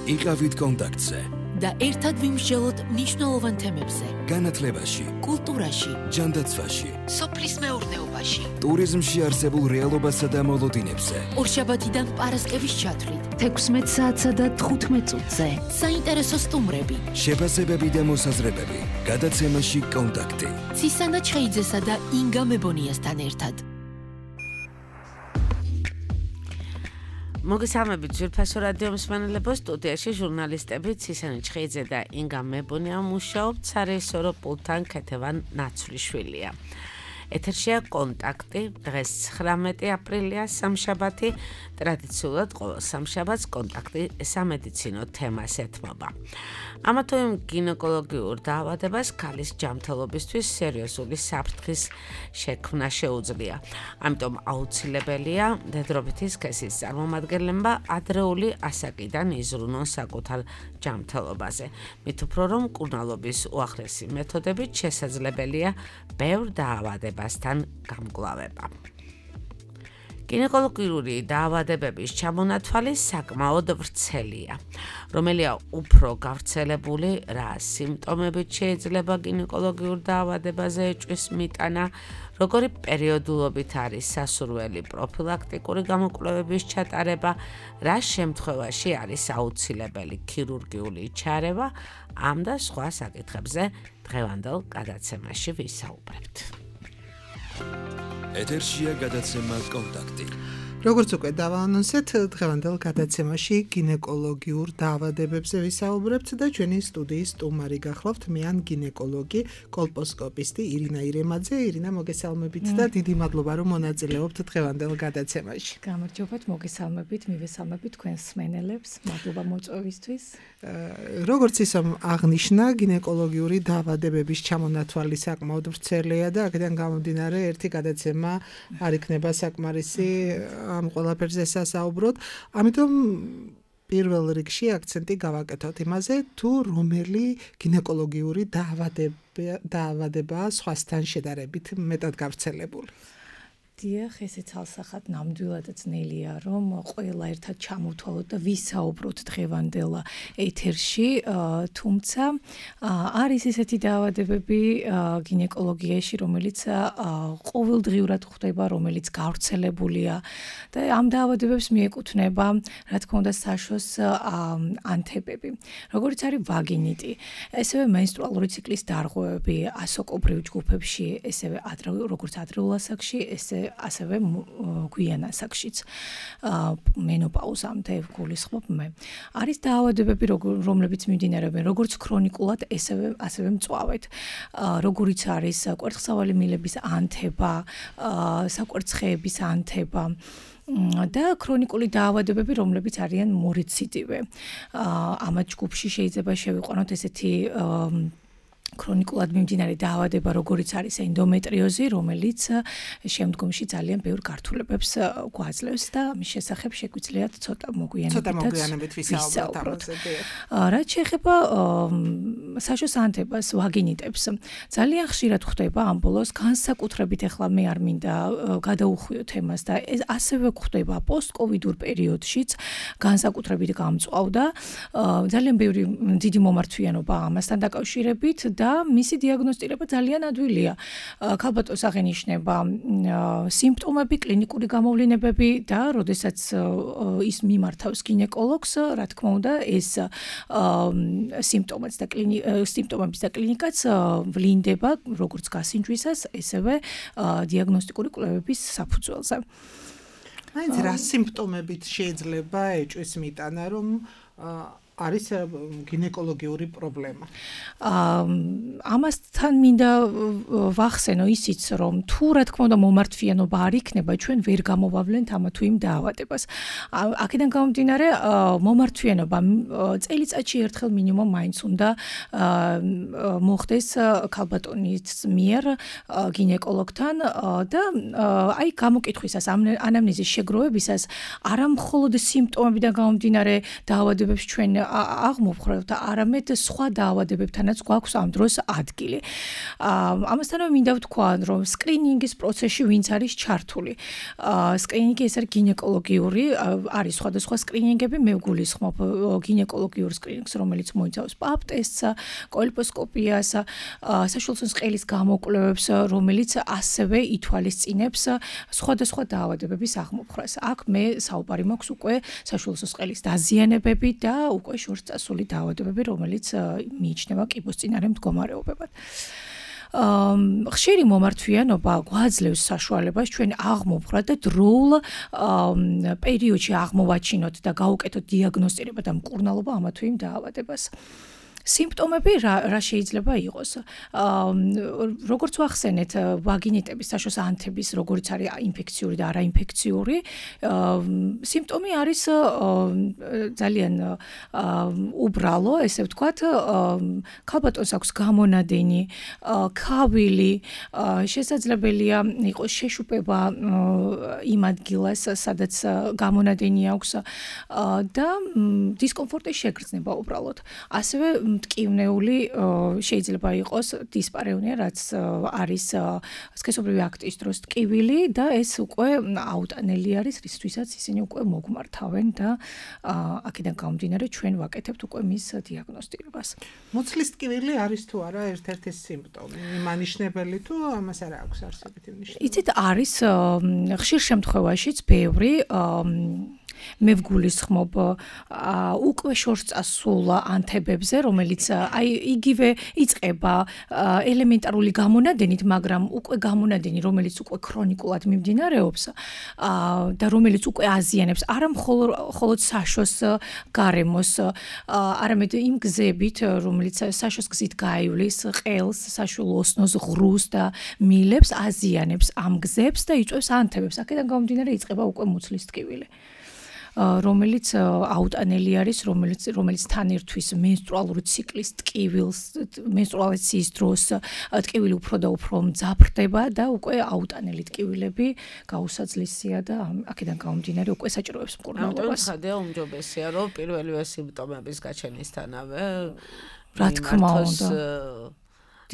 იყავით კონტაქტზე და ერთად ვიმსჯელოთ მნიშვნელოვან თემებზე. განათლებაში, კულტურაში, ჯანდაცვაში, სოფლის მეურნეობაში, ტურიზმში არსებულ რეალობასა და მოლოდინებზე. ორშაბათიდან პარასკევის ჩათვლით, 16 საათსა და 15 წუთზე. საინტერესო სტუმრები, შეფასებები და მოსაზრებები. გადაცემაში კონტაქტი. ცისანა ჩხეიძესა და ინგა მებონიასთან ერთად. მოგესალმებით ძვირფასო რადიო მსმენელებო, სტუდიაში ჟურნალისტები ცისანა ჩხეიძე და ინგა მებონია მუშაობთ, სარეჟისორო პულტთან ქეთევან ნაცვლიშვილია. ეთერშია კონტაქტი, დღეს 19 აპრილია, სამშაბათი, ტრადიციულად ყოველ სამშაბათს კონტაქტი სამედიცინო თემას ეთმობა. ამა თუ იმ გინეკოლოგიურ დაავადებას ქალის ჯანმრთელობისთვის სერიოზული საფრთხის შექმნა შეუძლია. ამიტომ აუცილებელია დედრობითი სქესის წარმომადგენლებმა ადრეული ასაკიდან იზრუნონ საკუთარ ჯანმრთელობაზე. მით უფრო რომ მკურნალობის უახლესი მეთოდებით შესაძლებელია ბევრ დაავადებასთან გამკლავება. გინეკოლოგიური დაავადებების ჩამონათვალი საკმაოდ ვრცელია. რომელია უფრო გავრცელებული, რა სიმპტომებით შეიძლება გინეკოლოგიურ დაავადებაზე ეჭვის მიტანა, როგორი პერიოდულობით არის სასურველი პროფილაქტიკური გამოკვლევების ჩატარება, რა შემთხვევაში არის აუცილებელი ქირურგიული ჩარევა, ამ და სხვა საკითხებზე დღევანდელ გადაცემაში ვისაუბრებთ. ეთერშია გადაცემა კონტაქტი. როგორც უკვე დავაანონსეთ, დღევანდელ გადაცემაში გინეკოლოგიურ დაავადებებზე ვისაუბრებთ და ჩვენი სტუდიის სტუმარი გახლავთ მიან გინეკოლოგი, კოლპოსკოპისტი ირინა ირემაძე. ირინა, მოგესალმებით და დიდი მადლობა რომ მონაწილეობთ დღევანდელ გადაცემაში. გამარჯობათ, მოგესალმებით, მივესალმებით თქვენს მსმენელებს. მადლობა მოწვევისთვის. როგორც ისომ აღნიშნა, გინეკოლოგიური დაავადებების ჩამონათვალი საკმაოდ ვრცელია და აქედან გამომდინარე ერთი გადაცემა არ იქნება საკმარისი ამ ყველაფერზე სასაუბროთ. ამიტომ პირველ რიგში აქცენტი გავაკეთოთ იმაზე, თუ რომელი გინეკოლოგიური დაავადებაა სხვასთან შედარებით მეტად გავრცელებული. დიახ, ესეც ალსახად ნამდვილად ძნელია, რომ ყველა ერთად ჩამოვთვალოთ და ვისაუბროთ დღევანდელ ეთერში, თუმცა არის ესეთი დაავადებები გინეკოლოგიაში, რომელიც ყოველდღიურად ხდება, რომელიც გავრცელებულია და ამ დაავადებებს მიეკუთვნება, რა თქმა უნდა, საშოს ანთებები, როგორც არის ვაგინიტი, ესევე მენსტრუალური ციკლის დარღვევები ასაკობრივ ჯგუფებში, ესევე როგორც ადრეულ ასაკში, ასევე გვიან ასაკშიც, მენოპაუზამდე გულისხმობ მე. არის დაავადებები, რომლებიც მიმდინარეობს როგორც ქრონიკულად, ასევე მწვავედ, როგორიც არის კვერცხსავალი მილების ანთება, საკვერცხეების ანთება და ქრონიკული დაავადებები, რომლებიც არიან მორეციდივე. ამათ ჯგუფში შეიძლება შევიყვანოთ ესეთი ქრონიკულად მიმდინარე დაავადება, როგორიც არის ენდომეტრიოზი, რომელიც შემდგომში ძალიან ბევრ გართულებებს გვაძლევს და მის შესახებ შეგვიძლიათ ცოტა მოგვიანებით ვისაუბროთ. რაც შეეხება საშოს ანთებას, ვაგინიტებს, ძალიან ხშირად ხდება ამ ბოლოს, განსაკუთრებით ახლა მე არ მინდა გადაუხვიო თემას და ასევე ხდება პოსტკოვიდურ პერიოდშიც, განსაკუთრებით გამწვავდა, ძალიან ბევრი დიდი მომართვიანობა ამასთან დაკავშირებით და მისი დიაგნოსტირება ძალიან ადვილია. ქალბატონს აღენიშნება სიმპტომები, კლინიკური გამოვლენებები და როდესაც ის მიმართავს გინეკოლოგს, რა თქმა უნდა, ეს სიმპტომების და კლინიკაც ვლინდება როგორც გასინჯვისას, ესევე დიაგნოსტიკური კვლევების საფუძველზე. მაინც რა სიმპტომებით შეიძლება ეჭვის მიტანა, რომ არის გინეკოლოგიური პრობლემა. ამასთან მინდა ვახსენო ისიც, რომ თუ რა თქმა უნდა მომართვიანობა არ იქნება, ჩვენ ვერ გამოვავლენთ ამა თუ იმ დაავადებას. აქედან გამომდინარე, მომართვიანობა წელიწადში ერთხელ მინიმუმ მაინც უნდა მოხდეს ქალბატონის მიერ გინეკოლოგთან და აი გამოკითხვისას, ანამნეზის შეგროვებისას არა მხოლოდ სიმპტომებიდან გამომდინარე დაავადებებს ჩვენ აღმოვხრევთ, არამედ სხვა დაავადებებთანაც გვაქვს ამ დროს ადგილი. ამასთანავე მინდა ვთქვა, რომ სკრინინგის პროცესში ვინც არის ჩართული. სკრინინგი ეს არის გინეკოლოგიური, არის სხვადასხვა სკრინინგები, მე ვგულისხმობ გინეკოლოგიურ სკრინინგს, რომელიც მოიცავს პაპ ტესტს, კოლპოსკოპიას, საშუალო სყელის გამოკვლევებს, რომელიც ასევე ითვალისწინებს სხვადასხვა დაავადებების აღმოფხვრას. აქ მე საუბარი მაქვს უკვე საშუალო სყელის დაზიანებები და უკვე შორს წასული დაავადებები, რომელიც მიიჩნევა კიბოსწინარე მდგომარეობებად. ხშირი მომართვიანობა გვაძლევს საშუალებას ჩვენ აღმოვხვრა და დროულ პერიოდში აღმოვაჩინოთ და გავუკეთოთ დიაგნოსტირება და მკურნალობა ამა თუ იმ დაავადებას. სიმპტომები რა შეიძლება იყოს? როგორც ვახსენეთ, ვაგინიტების საშუალო ანთების, როგორც არის ინფექციური და არაინფექციური, სიმპტომი არის ძალიან უბრალო, ესე ვთქვათ, ქალბატონს აქვს გამონადენი, ქავილი, შესაძლებელია იყოს შეშუპება იმ ადგილას, სადაც გამონადენი აქვს და დისკომფორტი შეგრძნება უბრალოდ. ასევე მტკივნეული შეიძლება იყოს დისპარევნია, რაც არის სქესობრივი აქტის დროს ტკივილი და ეს უკვე აუტანელი არის, რისთვისაც ისინი უკვე მოგმართავენ და აქედან გამომდინარე ჩვენ ვაკეთებთ უკვე მის დიაგნოსტირებას. მოცლის ტკივილი არის თუ არა ერთ-ერთი სიმპტომი, მანიშნებელი თუ ამას არ აქვს არსებითი მნიშვნელობა? იცით, არის ხშირ შემთხვევაშიც ბევრი მე ვგულისხმობ უკვე შორს წასულ ანთებებზე, რომელიც აი იგივე იწყება ელემენტარული გამონადენით, მაგრამ უკვე გამონადენი, რომელიც უკვე ქრონიკულად მიმდინარეობს და რომელიც უკვე აზიანებს არა მხოლოდ საშოს გარემოს, არამედ იმ გზებით, რომელიც საშოს გზით გაივლის ყელს, საშუალო ოსნოს ღრუს და მილებს, აზიანებს ამ გზებს და იწვევს ანთებებს. აქედან გამომდინარე იწყება უკვე მუცლის ტკივილი. რომელიც აუტანელი არის, რომელიც თან ერთვის მენსტრუალური ციკლის ტკივილს, მენსტრუაციის დროს ტკივილი უფრო და უფრო მძაფრდება და უკვე აუტანელი ტკივილები გაუსაძლისია და აქედან გამომდინარე უკვე საჭიროებს მკურნალობას. ამიტომ ხადია უმჯობესია, რომ პირველივე სიმპტომების გაჩენისთანავე რა თქმა უნდა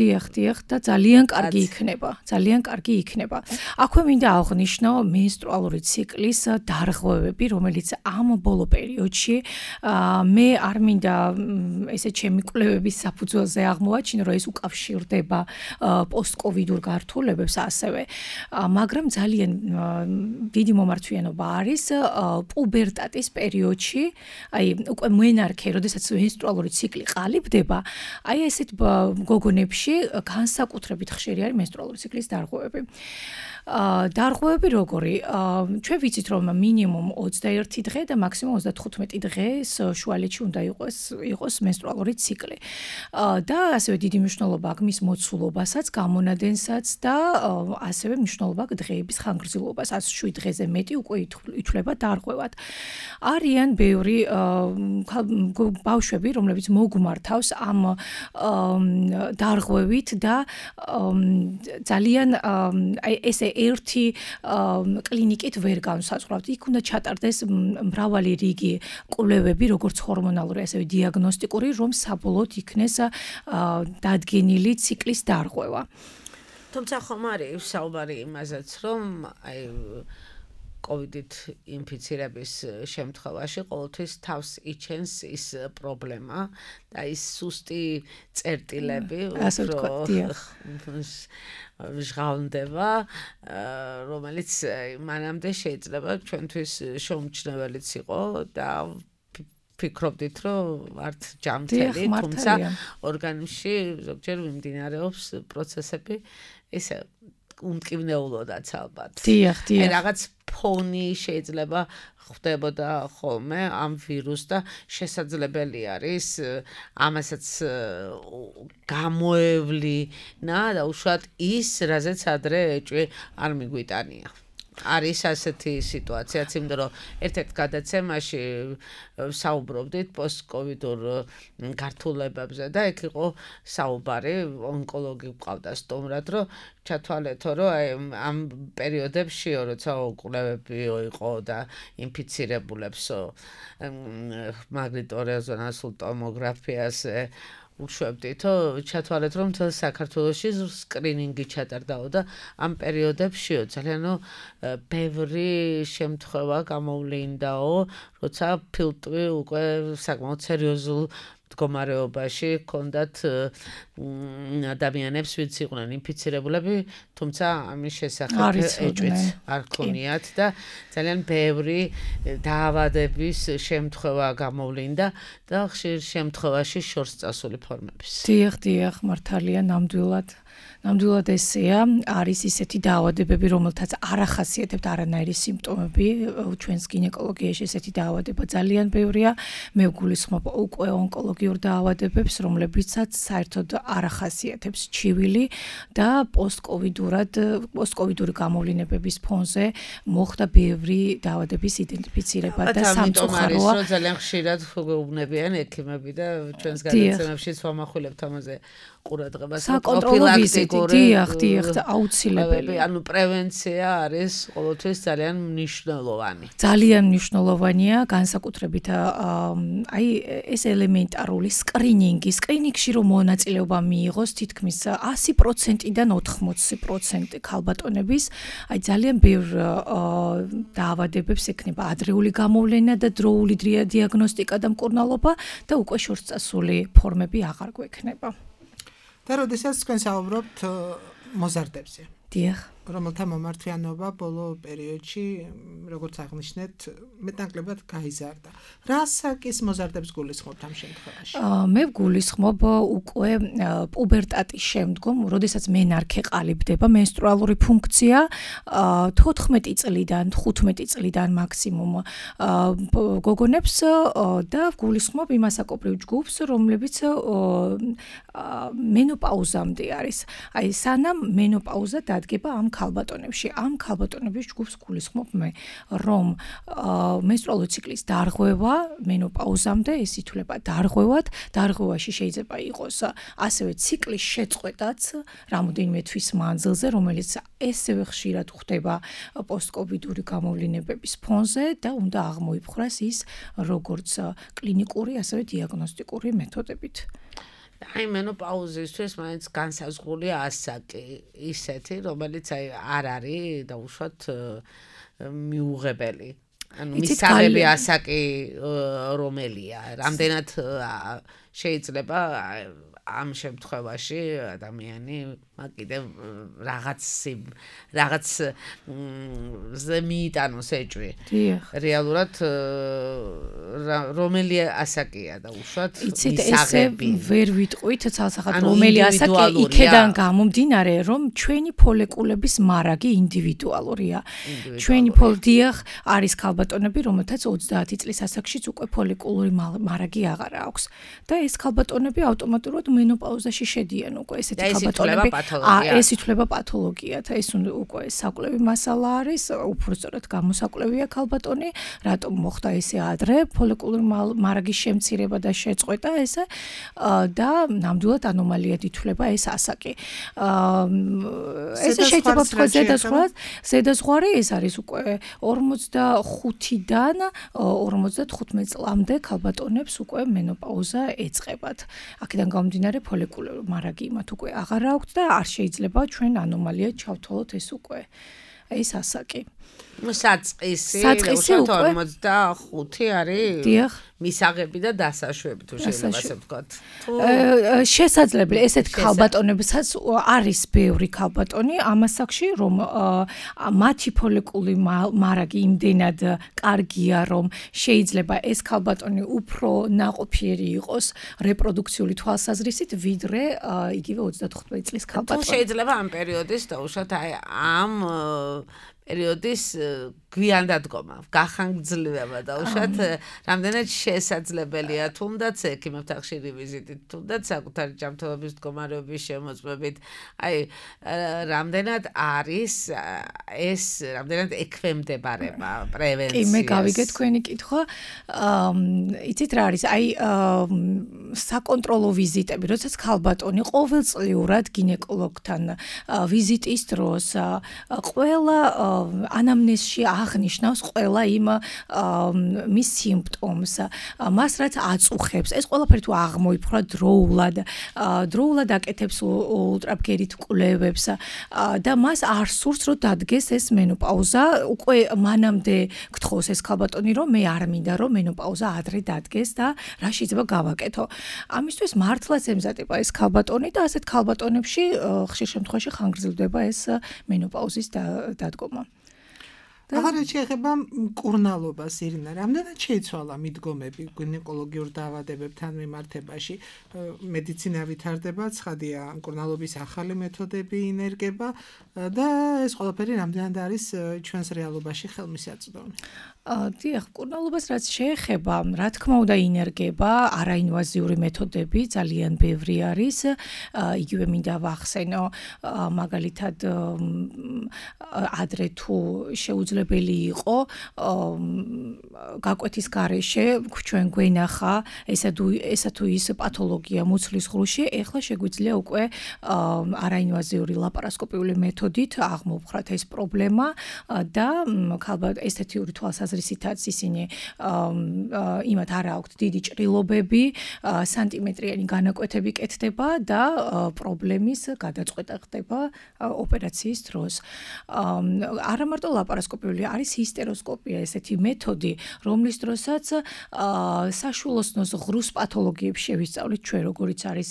დიახ და ძალიან კარგი იქნება. აქვე მინდა აღვნიშნო მენსტრუალური ციკლის დარღვევები, რომელიც ამ ბოლო პერიოდში მე არ მინდა ესე ჩემი კვლევების საფუძველზე აღმოვაჩინო, რომ ეს უკავშირდება პოსტკოვიდურ გართულებებს ასევე, მაგრამ ძალიან დიდი მომართვიანობა არის პუბერტატის პერიოდში, აი უკვე მენარქე, როდესაც მენსტრუალური ციკლი ყალიბდება, აი ესეთ გოგონებში განსაკუთრებით ხშირი არის მენსტრუალური ციკლის დარღვევები. დარღვევები როგორი? ჩვენ ვიცით, რომ მინიმუმ 21 დღე და მაქსიმუმ 35 დღეს შუალედში უნდა იყოს მენსტრუალური ციკლი. და ასევე დიდი მნიშვნელობა აქვს მის მოცულობასაც, გამონადენსაც და ასევე მნიშვნელობა აქვს დღეების ხანგრძლივობას. 107 დღეზე მეტი უკვე ითვლება დარღვევად. არიან ბევრი ბავშვები, რომლებიც მოგმართავს ამ დარღვევით და ძალიან აი ესე ერთი კლინიკით ვერ განსაზღვრავთ. იქ უნდა ჩატარდეს მრავალი რიგი კვლევები, როგორც ჰორმონალური, ასევე დიაგნოსტიკური, რომ საბოლოოდ იქნეს დადგენილი ციკლის დარღვევა. თუმცა ხომ არის საუბარი იმაზეც, რომ აი კოვიდით ინფიცირების შემთხვევაში ყოველთვის თავს იჩენს ის პრობლემა და ის სუსტი წერტილები, ჟღავდება, რომელიც მანამდე შეიძლება ჩვენთვის შეუმჩნეველიც იყო და ფიქრობდით, რომ ვართ ჯანმრთელი, თუმცა ორგანიზმში ზოგჯერ მიმდინარეობს პროცესები ისე უმტკივნეულოდაც ალბათ. დიახ. რაღაც ფონი შეიძლება ხდებოდა ხოლმე ამ ვირუსს და შესაძლებელი არის ამასაც გამოევლინა და უშუალოდ ის, რაზეც ადრე ეჭვი არ მიგვიტანია. არის ასეთი სიტუაციაც, იმიტომ რომ ერთ-ერთ გადაცემაში საუბრობდით პოსტკოვიდურ გართულებებზე და იქ იყო საუბარი, ონკოლოგი გვყავდა სტუმრად, რომ ჩათვალეთო, რომ ამ პერიოდებში, როცა კვლევები იყო და ინფიცირებულებს მაგნიტორეზონანსულ ტომოგრაფიაზე უშვებდით, ჩათვალეთ, რომ მთელ საქართველოში სკრინინგი ჩატარდაო და ამ პერიოდებშიო ძალიან ბევრი შემთხვევა გამოვლინდაო, როცა ფილტვი უკვე საკმაოდ სერიოზულ მდგომარეობაში ჰქონდათ ადამიანებს, ვინც იყვნენ ინფიცირებულები, თუმცა ამის შესახებ ეჭვიც არ ქონიათ და ძალიან ბევრი დაავადების შემთხვევა გამოვლინდა და ხშირ შემთხვევაში შორს წასული ფორმების. დიახ, მართალია, ნამდვილად ესეა, არის ისეთი დაავადებები, რომელთაც არ ახასიათებთ არანაირი სიმპტომები, ჩვენს გინეკოლოგიაში ესეთი დაავადება ძალიან ბევრია, მე ვგულისხმობ უკვე ონკოლოგიურ დაავადებებს, რომლებიცაც საერთოდ არ ახასიათებს ჩივილი და პოსტკოვიდური გამოვლინებების ფონზე მოხდა ბევრი დაავადების იდენტიფიცირება და სამწუხაროა, რომ ძალიან ხშირად უგუნებიან ექიმები და ჩვენს გადაცემებშიც ვამახვილებთ ამაზე ყურადღებას, საკონტროლო ვიზიტი, დიახ, აუცილებელი. ანუ პრევენცია არის ყოველთვის ძალიან მნიშვნელოვანი. ძალიან მნიშვნელოვანია, განსაკუთრებით აი ეს ელემენტარული სკრინინგში რომ მონაწილეობა მიიღოს თითქმის 100%-დან 80% ქალბატონების, აი ძალიან ბევრ დაავადებებს ექნება ადრეული გამოვლენა და დროული დიაგნოსტიკა და მკურნალობა და უკვე შორსწასული ფორმები აღარ გვექნება. და როდესაც თქვენ საუბრობთ მოზარდებზე. დიახ. რომელთა მომართვიანობა ბოლო პერიოდში, როგორც აღნიშნეთ, მეტნაკლებად გაიზარდა. რა საკის მოზარდებს გულისხმობთ ამ შემთხვევაში? მე ვგულისხმობ უკვე პუბერტატის შემდგომ, როდესაც მენარქე ყალიბდება, მენსტრუალური ფუნქცია 14 წლიდან, 15 წლიდან მაქსიმუმ გოგონებს და ვგულისხმობ იმ ასაკობრივ ჯგუფს, რომლებიც მენოპაუზამდე არის. აი სანამ მენოპაუზა დადგება ამ ქალბატონებში. ამ ქალბატონების ჯგუფს გულისხმობ მე, რომ მენსტრუალური ციკლის დარღვევა მენოპაუზამდე ეს ითვლება დარღვევად. დარღვევაში შეიძლება იყოს ასევე ციკლის შეწყვეტაც რამოდენიმე თვის მანძილზე, რომელიც ესევე ხშირად ხდება პოსტკოვიდური გამოვლინებების ფონზე და უნდა აღმოიფხვრას ის როგორც კლინიკური, ასევე დიაგნოსტიკური მეთოდებით. აი მენოპაუზისთვის მაინც განსაზღვრულია ასაკი ისეთი, რომელიც აი არ არის დაუშვათ მიუღებელი. ანუ მისაღები ასაკი რომელია, რამდენად შეიძლება ამ შემთხვევაში ადამიანი კიდევ რაღაც მიიტანოს ეჭვი. რეალურად რომელი ასაკია დაუშვათ მისაღები. ვერ ვიტყვით ცალსახად რომელი ასაკი იქედან გამომდინარე, რომ ჩვენი ფოლეკულების მარაგი ინდივიდუალურია. ჩვენი დიახ არის ქალბატონები, რომელთაც 30 წლის ასაკშიც უკვე ფოლეკულური მარაგი აღარ აქვს და ეს ქალბატონები ავტომატურად მენოპაუზაში შედიან უკვე ესეთი ქალბატონები. ეს ითვლება პათოლოგიად. ეს უკვე საკვლევი მასალა არის, უბრალოდ გამოსაკვლევია ქალბატონი, რატომ მოხდა ესე ადრე ფოლიკულური მარაგის შემცირება და შეწყვეტა ესე და ნამდვილად ანომალიად ითვლება ეს ასაკი. ესე შეიძლება ვთქვათ ზედაზღვარი ეს არის უკვე 45-დან 55 წლამდე ქალბატონებს უკვე მენოპაუზა ეწყებათ. აქედან გამომდინარე ფოლიკულური მარაგი იმათ უკვე აღარ აქვთ და არ შეიძლება ჩვენ ანომალიად ჩავთვალოთ ეს უკვე ეს ასაკი. საწყისი 45 არის. დიახ. მისაღები და დასაშვები თუ შეიძლება ასე ვთქვათ. შესაძლებელი ესეთ ქალბატონებსაც არის ბევრი ქალბატონი ამ ასაკში, რომ მათი ფოლიკული მარაგი იმდენად კარგია, რომ შეიძლება ეს ქალბატონი უფრო ნაყოფიერი იყოს რეპროდუქციული თვალსაზრისით, ვიდრე იგივე 35 წლის ქალბატონი. შეიძლება ამ პერიოდის დაუშვათ აი ამ პერიოდის გვიანდადგომა, გახანგრძლივება და უშუალოდ რამდენად შესაძლებელია თუნდაც ექიმებთან ხშირი ვიზიტით, თუნდაც საკუთარი ჯანმრთელობის მდგომარეობის შემოწმებით, აი რამდენად არის ეს რამდენად ექვემდებარება პრევენციას. კი, მე გავიგე თქვენი კითხვა. იცით რა არის? აი საკონტროლო ვიზიტები, როდესაც ქალბატონი ყოველწლიურად გინეკოლოგთან ვიზიტის დროს ყველა ანამნეზში აღნიშნავს ყველა იმ მის სიმპტომს, მას რაც აწუხებს. ეს ყველაფერი თუ აღმოიფხვრა დროულად აკეთებს ულტრაბგერით კვლევებს და მას არ სურს რომ დადგეს ეს მენოპაუზა, უკვე მანამდე გთხოვს ეს ქალბატონი რომ მე არ მინდა რომ მენოპაუზა ადრე დადგეს და რა შეიძლება გავაკეთო. ამისთვის მართლაც ემზადება ეს ქალბატონი და ასეთ ქალბატონებში ხშირ შემთხვევაში ხანგრძლივდება ეს მენოპაუზის დადგომა. აღარ შეეხება მკურნალობას, ირინა, რამდენად შეიცვალა მიდგომები გინეკოლოგიურ დაავადებებთან მიმართებაში? მედიცინა ვითარდება, ცხადია, მკურნალობის ახალი მეთოდები ინერგება და ეს ყველაფერი რამდენად არის ჩვენს რეალობაში ხელმისაწვდომი? დიახ, მკურნალობას რაც შეეხება, რა თქმა უნდა ინერგება, არაინვაზიური მეთოდები ძალიან ბევრი არის. იგივე მინდა ვახსენო, მაგალითად ადრე თუ შეუძლებელი იყო გაკვეთის გარეშე ჩვენ გვენახა ესა თუ ის პათოლოგია მუცლის ღრუში, ეხლა შეგვიძლია უკვე არაინვაზიური ლაპარასკოპიული მეთოდით აღმოვხვრათ ეს პრობლემა და ესთეთიური თვალსაზრისითაც ისინი იმათ არ აქვთ დიდი ჭრილობები, სანტიმეტრიანი განაკვეთები კეთდება და პრობლემის გადაწყვეტა ხდება ოპერაციის დროს. არა მარტო ლაპარასკოპიული, არის ჰისტეროსკოპია, ესეთი მეთოდი, რომლის დროსაც საშვილოსნოს ღრუს პათოლოგიებს შევისწავლით ჩვენ, როგორიც არის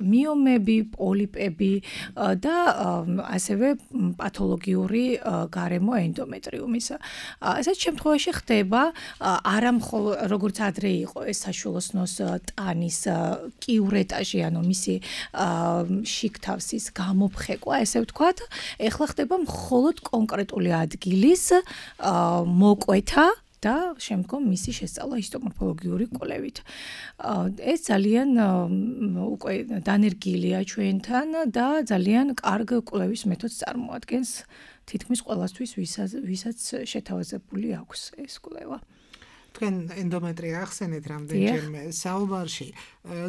მიომები, პოლიპები და ასევე პათოლოგიური გარემო ენდომეტრიუმის. ესეთ შემთხვევაში ხდება არა მხოლოდ როგორც ადრე იყო ეს საშვილოსნოს ტანის კიურეტაჟი, ანუ მისი შიგთავსის გამოფხეკვა, ესე ვთქვათ, ეხლა ხდება მხოლოდ კონკრეტული ადგილის მოკვეთა და შემდგომ მისი შესწავლა ჰისტომორფოლოგიური კვლევით. ეს ძალიან უკვე დანერგილია ჩვენთან და ძალიან კარგ კვლევის მეთოდს წარმოადგენს თითქმის ყველასთვის, ვისაც შეთავაზებული აქვს ეს კვლევა. თქვენ ენდომეტრია ახსენეთ რამდენჯერმე საუბარში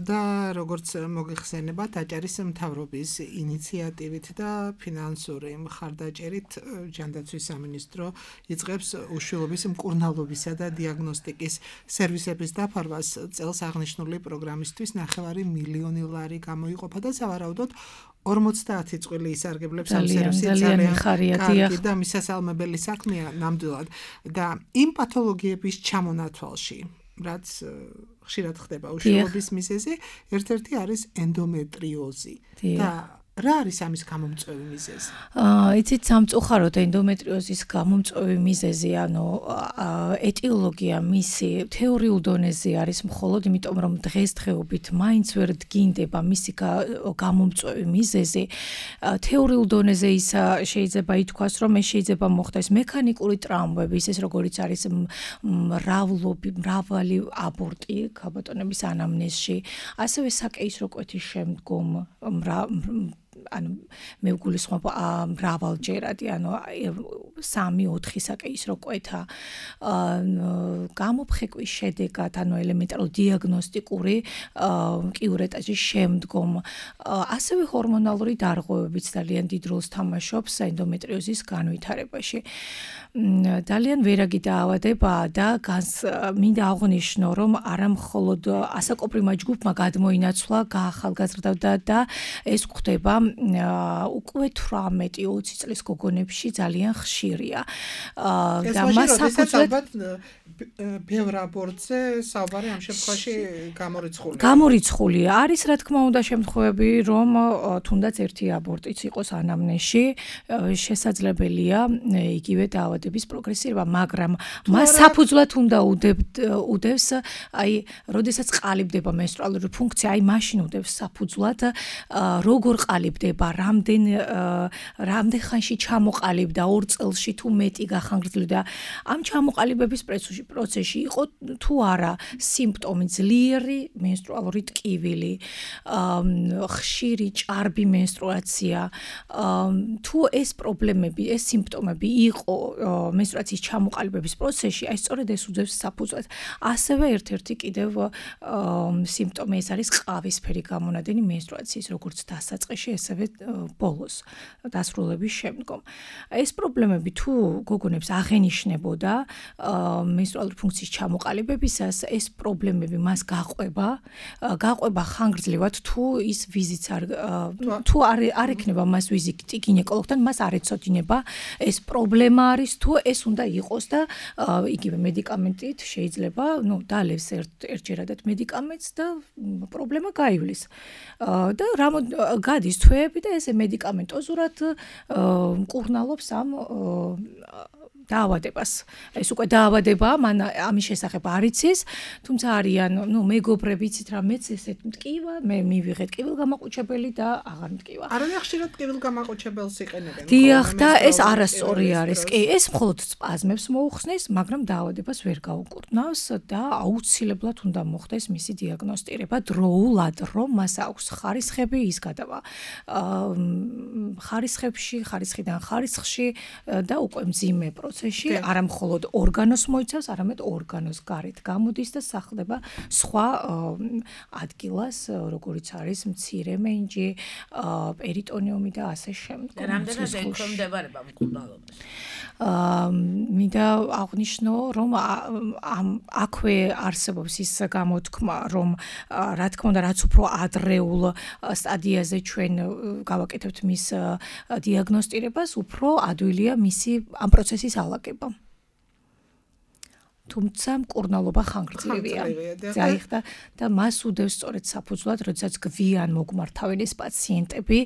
და როგორც მოგიხსენებათ აჭარის მთავრობის ინიციატივით და ფინანსური მხარდაჭერით ჯანდაცვის სამინისტრო იწყებს უშვილობის მკურნალობისა და დიაგნოსტიკის სერვისების დაფარვას. წელს აღნიშნული პროგრამისთვის 9 მილიონი ლარი გამოიყოფა და სავარაუდოდ 50 წყვილი ისარგებლებს ამ სერვისით ძალიან კარგი და მისასალმებელი საქმეა ნამდვილად და იმ პათოლოგიების ჩამონათვალში, რაც ხშირად ხდება უშვილობის მიზეზი, ერთ-ერთი არის ენდომეტრიოზი და რა არის ამის გამომწვევი მიზეზი? იცით, სამწუხაროდ ენდომეტრიოზის გამომწვევი მიზეზი, ანუ ეტიოლოგია მისი თეორიულ დონეზე არის მხოლოდ იმიტომ, რომ დღესდღეობით მაინც ვერ დგინდება მისი გამომწვევი მიზეზი. თეორიულ დონეზე ის შეიძლება ითქვას, რომ ეს შეიძლება მოხდეს მექანიკური ტრავმები, ისე როგორიც არის მრავალი აბორტი ქალბატონების ანამნეზში, ასევე საკეისრო კვეთის შემდგომ ანუ მე ვგულისხმობ მრავალჯერადი, ანუ 3-4 საკეისრო კვეთა გამოფხეკვის შედეგად, ანუ ელემენტარული დიაგნოსტიკური კიურეტაჟის შემდგომ, ასევე ჰორმონალური დარღვევებიც ძალიან დიდ როლს თამაშობს ენდომეტრიოზის განვითარებაში. ძალიან ვერაგი დაავადებაა და მინდა აღვნიშნო, რომ არა მხოლოდ ასაკობრივმა ჯგუფმა გადმოინაცვლა, გაახალგაზრდა და ეს ხდება უკვე 18-20 წლის გოგონებში ძალიან ხშირად. ხშირია. და მას საფუძვლად ბევრ აბორტზე საუბარი ამ შემთხვევაში გამორიცხულია. არის რა თქმა უნდა შემთხვევები, რომ თუნდაც ერთი აბორტიც იყოს ანამნეზში, შესაძლებელია იგივე დაავადების პროგრესირება, მაგრამ მას საფუძვლად უნდა უდევს, აი, როდესაც ყალიბდება menstrualuri ფუნქცია, აი მაშინ უდევს საფუძვლად, როგორ ყალიბდება, რამდენ ხანში ჩამოყალიბდა, 2 წელში თუ მეტი გახანგრძლივდა. ამ ჩამოყალიბების პროცესში იყო თუ არა სიმპტომი ძლიერი menstrualuri ტკივილი, ხშირი ჭარბი menstruacja, თუ ეს პრობლემები, ეს სიმპტომები იყო menstruacიის ჩამოყალიბების პროცესში, აი სწორედ ეს უდევს საფუძვლად. ასევე ერთ-ერთი კიდევ სიმპტომი ეს არის ყავისფერი გამონადენი menstruacიის, როგორც დასაწყისში, ესევე ბოლოს, დასრულების შემდგომ. ეს პრობლემები თუ გოგონებს აღენიშნებოდა menstrualuri ფუნქციის ჩამოყალიბებისას, ეს პრობლემები მას გაყვება ხანგრძლივად, თუ ის ვიზიტს თუ არ ექნება მას ვიზიტი გინეკოლოგთან, მას არ ეცოდინება ეს პრობლემა არის, თუ ეს უნდა იყოს და იგივე მედიკამენტით შეიძლება, დალევს ერთჯერადად მედიკამენტს და პრობლემა გაივლის. და გადის თვეები და ესე მედიკამენტოზურად მკურნალობს ამ დაავადებას. ეს უკვე დაავადებაა, მან ამის შესახებ არ იცის, თუმცა არიან, მეგობრები იცით რა, მეც ესეთ მტკივა, მე მივიღეთ კივილგამაყუჩებელი და აღარ მტკივა. არანაირ ხშირად კივილგამაყუჩებელს იყენებენ. დიახ, და ეს არასწორი არის. კი, ეს მხოლოდ სპაზმებს მოუხსნის, მაგრამ დაავადებას ვერ გაუკურნავს და აუცილებლად უნდა მოხდეს მისი დიაგნოსტირება დროულად, რომ მას აქვს ხარისხები, ის გადავა ხარისხიდან ხარისხში და უკვე მძიმე პროცესში, არა მხოლოდ ორგანოს მოიცავს, არამედ ორგანოს გარეთ გამოდის და სახლდება სხვა ადგილას, როგორიც არის მცირე მენჯი, პერიტონიუმი და ასე შემდგომ. რამდენად ექვემდებარება მკურნალობას? მინდა აღვნიშნო, რომ აქვე არსებობს ის გამოთქმა, რომ რა თქმა უნდა, რაც უფრო ადრეულ სტადიაზე ჩვენ გავაკეთებთ მის დიაგნოსტირებას, უფრო ადვილია მისი ამ პროცესის ალაგება. თუმცა მკურნალობა ხანგრძლივია. დაიხდა და მას უდევს სწორედ საფუძვლად, როდესაც გვიან მოგმართავენ ეს პაციენტები,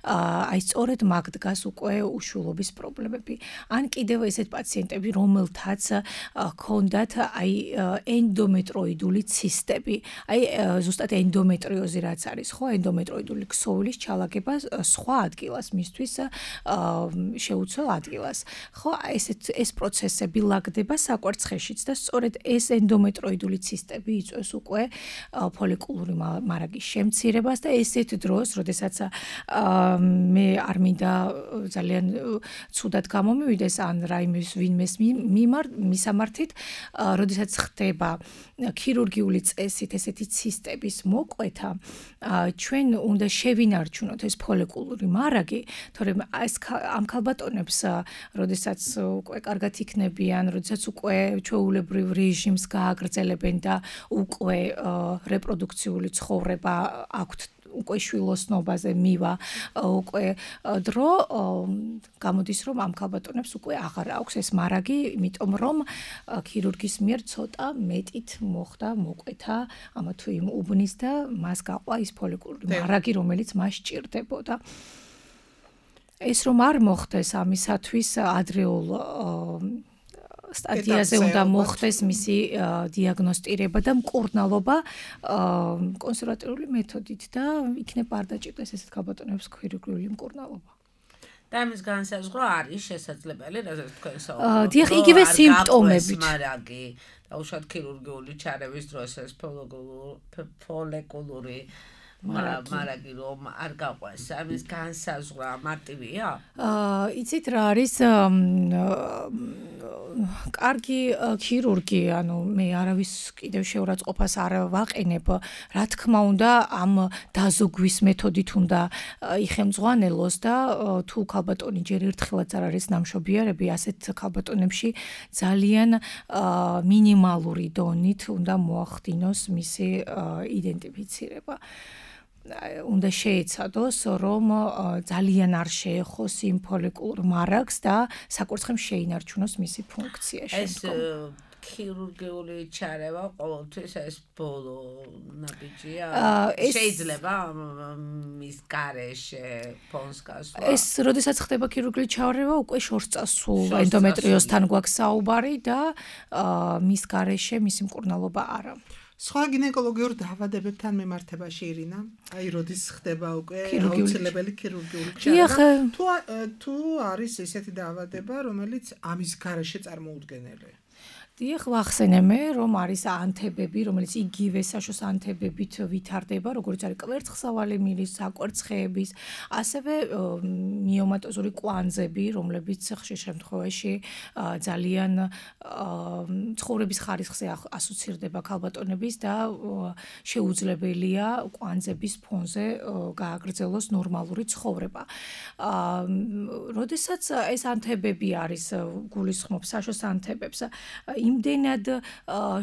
აი სწორედ მაგ დგას უკვე უშულობის პრობლემები. ან კიდევ ესეთ პაციენტები, რომელთაც ჰქონდათ აი ენდომეტროიდული ცისტები. აი ზუსტად ენდომეტრიოზი რაც არის, ხო, ენდომეტროიდული ქსოვილის ჩალაგება სხვა ადგილას მისთვის შეუცვლელ ადგილას. ხო, ეს პროცესები ლაგდება საკვერცხეშიც და სწორედ ეს ენდომეტროიდული ცისტები იწვევს უკვე ფოლიკულური მარაგის შემცირებას და ესეთ დროს, როდესაც მე არ მინდა ძალიან ცუდად გამომივიდეს ან რაიმეს ვინმეს მისამართით, როდესაც ხდება ქირურგიული წესით ესეთი ცისტების მოკვეთა, ჩვენ უნდა შევინარჩუნოთ ეს ფოლიკულური მარაგი, თორემ ამ ქალბატონებს, როდესაც უკვე კარგად იქნებიან, როდესაც უკვე ჩვეულებრივ რეჟიმს გააგრძელებენ და უკვე რეპროდუქციული ცხოვრება აქვთ, უკვე შვილოსნობაზე მივა, უკვე დრო გამოდის, რომ ამ ქალბატონებს უკვე აღარ აქვს ეს მარაგი, იმიტომ რომ ქირურგის მიერ ცოტა მეტით მოხდა მოკვეთა ამა თუ იმ უბნის და მას გაყვა ის ფოლიკულური მარაგი, რომელიც მას სჭირდებოდა. ეს რომ არ მოხდეს ამისათვის ადრეულ სტადიაზე უნდა მოხდეს მისი დიაგნოსტირება და მკურნალობა კონსერვატიული მეთოდით და იქნებ არ დაჭირდეს ესეთ ქალბატონებს ქირურგიული მკურნალობა. და ამის განსაზღვრა არის შესაძლებელი, რასაც თქვენ საუბრობთ. დიახ, იგივე სიმპტომებით. მარაგი და უშუალოდ ქირურგიული ჩარევის დროს ეს ფოლიკულური მარაგი რომ არ გაყვეს, ამის განსაზღვრა მარტივია? იცით რა არის კარგი ქირურგი, ანუ მე არავის კიდევ შეურაცხყოფას არ ვაყენებ, რა თქმა უნდა, ამ დაზოგვის მეთოდით უნდა იხემძღვანელოს და თუ ქალბატონი ჯერ ერთხელაც არ არის ნამშობიარები, ასეთ ქალბატონებში ძალიან მინიმალური დონით უნდა მოახდინოს მისი იდენტიფიცირება. უნდა შეეცადოს, რომ ძალიან არ შეეხოს იმ ფოლიკულურ მარაგს და საკვერცხემ შეინარჩუნოს მისი ფუნქცია შემდგომ. ქირურგიული ჩარევა ყოველთვის ეს ბოლო ნაბიჯია. შეიძლება მის გარეშე ფონს გასვლა. ეს როდესაც ხდება ქირურგიული ჩარევა, უკვე შორს წასულ ენდომეტრიოზთან გვაქვს საუბარი და მის გარეშე მისი მკურნალობა არა. სხვა გინეკოლოგიურ დაავადებებთან მიმართებაში ირინა, აი როდის ხდება უკვე აუცილებელი ქირურგიული ჩარევა. თუ არის ესეთი დაავადება, რომელიც ამის გარეშე წარმოუდგენელია. დიახ, ვახსენე, რომ არის ანთებები, რომელიც იგივე საშოს ანთებებით ვითარდება, როგორც არის კვერცხსავალი მილის, საკვერცხეების, ასევე მიომატოზური კვანძები, რომლებიც ხშირ შემთხვევაში ძალიან ცხოვრების ხარისხზე ასოცირდება ქალბატონების და შეუძლებელია კვანძების ფონზე გააგრძელოს ნორმალური ცხოვრება. როდესაც ეს ანთებები არის გულისხმობს საშოს ანთებებს, იმდენად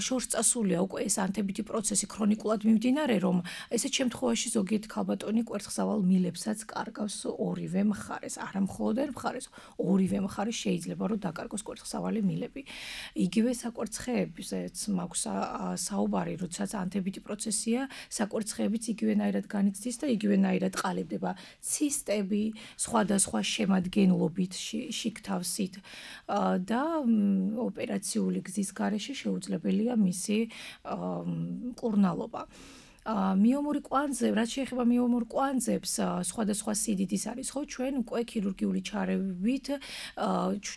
შორს წასულია უკვე ეს ანთებითი პროცესი ქრონიკულად მიმდინარე, რომ ესეთ შემთხვევაში ზოგიერთ ქალბატონი კვერცხსავალ მილებსაც კარგავს ორივე მხარეს, არა მხოლოდ ერთ მხარეს, ორივე მხარეს შეიძლება რომ დაკარგოს კვერცხსავალი მილები. იგივე საკვერცხეებზეც მაქვს საუბარი, როდესაც ანთებითი პროცესია, საკვერცხეებიც იგივენაირად განიცდის და იგივენაირად ყალიბდება ცისტები, სხვადასხვა შემადგენლობით, შიგთავსით და ოპერაციული გზის გარეშე შეუძლებელია მისი მკურნალობა. მიომური კვანძე, რაც შეეხება მიომურ კვანძებს, სხვადასხვა სიდიდის არის, ხო, ჩვენ უკვე ქირურგიული ჩარევით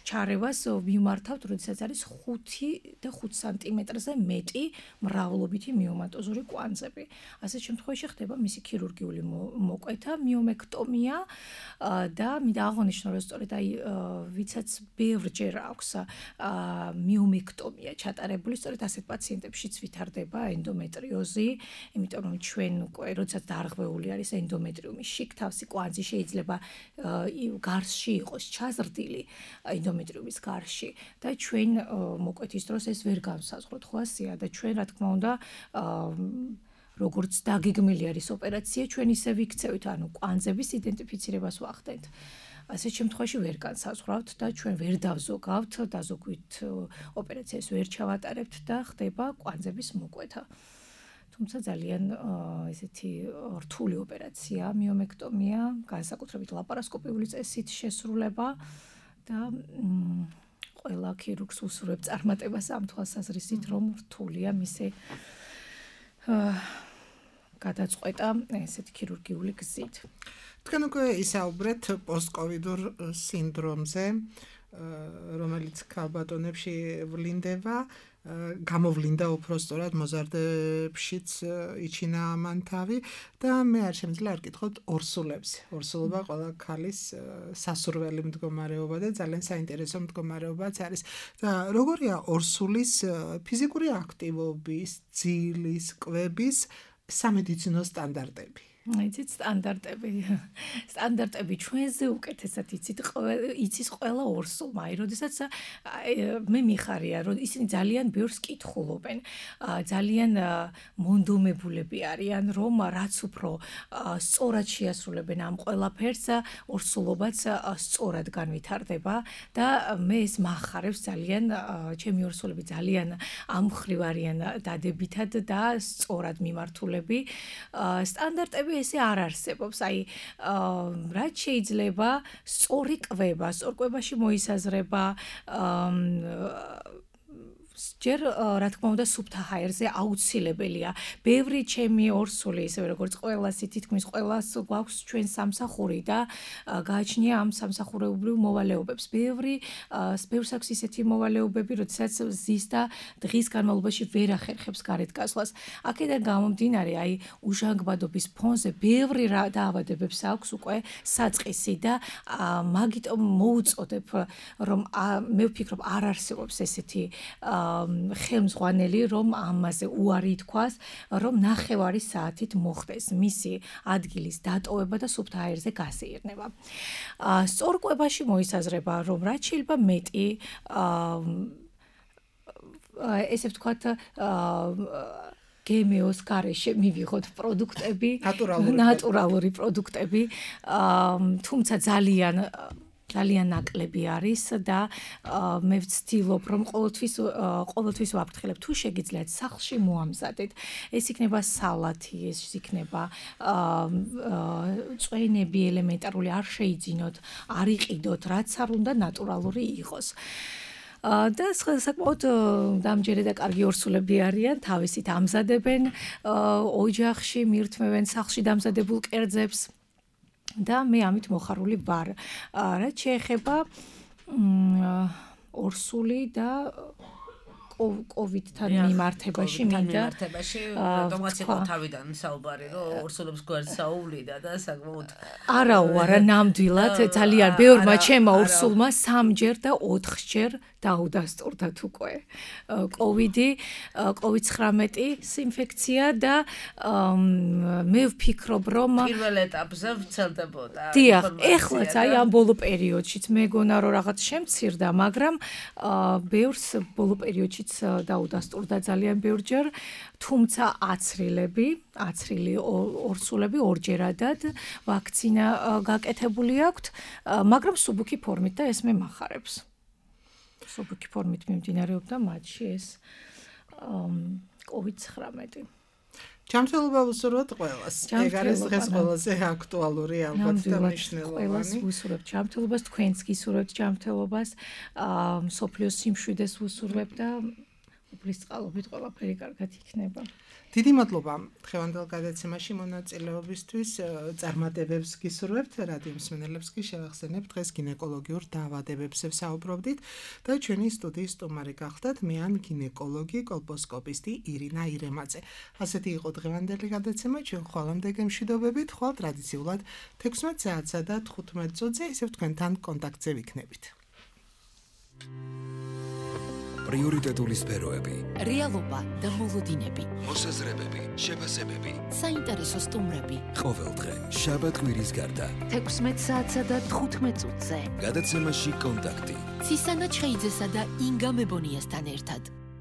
ჩარევას მიმართავთ, როდესაც არის 5 და 5 სანტიმეტრზე მეტი მრავლობითი მიომატოზური კვანძები. ასეთ შემთხვევაში ხდება მისი ქირურგიული მოკვეთა, მიომექტომია და მინდა აღნიშნო, რომ სწორედ აი ვიცაც ბევრჯერ აქვს მიომექტომია ჩატარებული, სწორედ ასეთ პაციენტებშიც ვითარდება ენდომეტრიოზი, იმიტომ რომ ჩვენ უკვე როდესაც დარღვეული არის ენდომეტრიუმის შიგთავსი კვანძი შეიძლება გარსში იყოს ჩაზრდილი ენდომეტრიუმის გარსში და ჩვენ მოკვეთის დროს ეს ვერ განსაზღვროთ ხო ასეა და ჩვენ რა თქმა უნდა როგორც დაგეგმილი არის ოპერაცია ჩვენ ისე ვიქცევით ანუ კვანძების იდენტიფიცირებას ვახდენთ ასეთ შემთხვევაში ვერ განსაზღვრავთ და ჩვენ ვერ დავზოგავთ დაზოგვით ოპერაციას ვერ ჩავატარებთ და ხდება კვანძების მოკვეთა თუმცა ძალიან ესეთი რთული ოპერაცია მიომექტომია, განსაკუთრებით ლაპარასკოპიული წესით შესრულება და ყველა ქირურგს უსურვებ წარმატებას ამ თვალსაზრისით, რომ რთულია მისი გადაწყვეტა ესეთი ქირურგიული გზით. თქვენ უკვე ისაუბრეთ პოსტკოვიდურ სინდრომზე, რომელიც ქალბატონებში ვლინდება. გამოვლინდა უფრო სწორად მოზარდებშიც იჩინა ამან თავი და მე არ შემიძლია არ გითხოთ ორსულებზე. ორსულობა ყველა ქალის სასურველი მდგომარეობა და ძალიან საინტერესო მდგომარეობაც არის. და როგორია ორსულის ფიზიკური აქტივობის, ძილის, კვების სამედიცინო სტანდარტები? იცით სტანდარტები ჩვენზე უკეთესად იცის ყველა ორსულმა. აი, როდესაც მე მიხარია, რომ ისინი ძალიან ბევრს კითხულობენ, ძალიან მონდომებულები არიან, რომ რაც უფრო სწორად შეასრულებენ ამ ყველაფერს, ორსულობაც სწორად განვითარდება და მე ეს მახარებს ძალიან, ჩემი ორსულები ძალიან ამ მხრივ არიან დადებითად და სწორად მიმართულები. სტანდარტები ესე არ არსებობს. აი, რაც შეიძლება სწორი კვება, სწორ კვებაში მოისაზრება ჯერ რა თქმა უნდა სუფთა ჰაერზე აუცილებელია. ბევრი ჩემი ორსული, ისევე როგორც ყველასი თითქმის ყველას გვაქვს ჩვენ სამსახური და გააჩნია ამ სამსახურეობრივ მოვალეობებს. ბევრს აქვს ისეთი მოვალეობები, როდესაც ზის და დღის განმავლობაში ვერ ახერხებს გარეთ გასვლას. აქედან გამომდინარე, აი უჟანგბადობის ფონზე ბევრი დაავადებებს აქვს უკვე საწყისი და მაგიტომ მოუწოდებ, რომ მე ვფიქრობ არ არსებობს ესეთი ხელმძღვანელი, რომ ამაზე უარი თქვას, რომ ნახევარი საათით მოხდეს მისი ადგილის დატოვება და სუფთა აირზე გასეირნება. სწორ კვებაში მოისაზრება, რომ რაც შეიძლება მეტი ესე ვთქვათ გემეოს გარეშე მივიღოთ პროდუქტები, ნატურალური პროდუქტები, თუმცა ძალიან ნაკლები არის და მე ვცდილობ რომ ყოველთვის ვაფრთხილებ თუ შეგიძლიათ სახლში მოამზადეთ ეს იქნება სალათი ეს იქნება წვენები ელემენტარული არ შეიძინოთ არ იყიდოთ რაც არ უნდა ნატურალური იყოს და საკმაოდ დამჯერე და კარგი ორსულები არიან თავისით ამზადებენ ოჯახში მირთმევენ სახლში დამზადებულ კერძებს და მე ამით მოხარული ვარ. რაც შეეხება ორსული და COVID-თან მიმართებაში მინდა რატომაც იყო თავიდან საუბარი რომ ორსულებს გვერდს საუვლიდა და საკმაოდ არა ნამდვილად ძალიან ბევრმა ჩემმა ორსულმა 3ჯერ და 4ჯერ დაუდასტურდათ უკვე COVID-19 ინფექცია და მე ვფიქრობ რომ პირველ ეტაპზე ვრცელდებოდა დიახ ეხლაც აი ამ ბოლო პერიოდშიც მეგონა რომ რაღაც შემცირდა მაგრამ ბევრს ბოლო პერიოდშიც დაუდასტურდა ძალიან ბევრჯერ თუმცა აცრილი ორსულები ორჯერადად ვაქცინა გაკეთებული აქვთ მაგრამ სუბუქი ფორმით და ეს მე მახარებს სუბუქი ფორმით მიმდინარეობდა მათში ეს COVID-19 ჯანმრთელობა ვუსურვოთ ყველას. ეგ არის დღეს ყველაზე აქტუალური ალბათ და მნიშვნელოვანი. ყველას ვუსურვებთ ჯანმრთელობას, თქვენც გისურვებთ ჯანმრთელობას, სოფლიოს სიმშვიდეს ვუსურვებთ და უფლის წყალობით ყველაფერი კარგად იქნება. დიდი მადლობა დღევანდელ გადაცემაში მონაწილეობისთვის. წარმატებებს გისურვებთ რადიო მსმენელებს კი შევახსენებთ დღეს გინეკოლოგიურ დაავადებებზე ვსაუბრობდით და ჩვენი სტუდიის სტუმარი გახდათ მე ან გინეკოლოგი კოლპოსკოპისტი ირინა ირემაძე. ასეთი იყო დღევანდელი გადაცემა ჩვენ ხვალამდე გემშვიდობებით ხვალ ტრადიციულად 16 საათსა და 15 წუთზე ისევ თქვენთან კონტაქტზე ვიქნებით. პრიორიტეტული სფეროები, რეალობა და მოლოდინები, მოსაზრებები, შეფასებები, საინტერესო სტუმრები. ყოველდღე, შაბათ-კვირის გარდა, 16 საათსა და 15 წუთზე. გადაცემაში კონტაქტი. ცისანა ჩხეიძესა და ინგა მებონიასთან ერთად.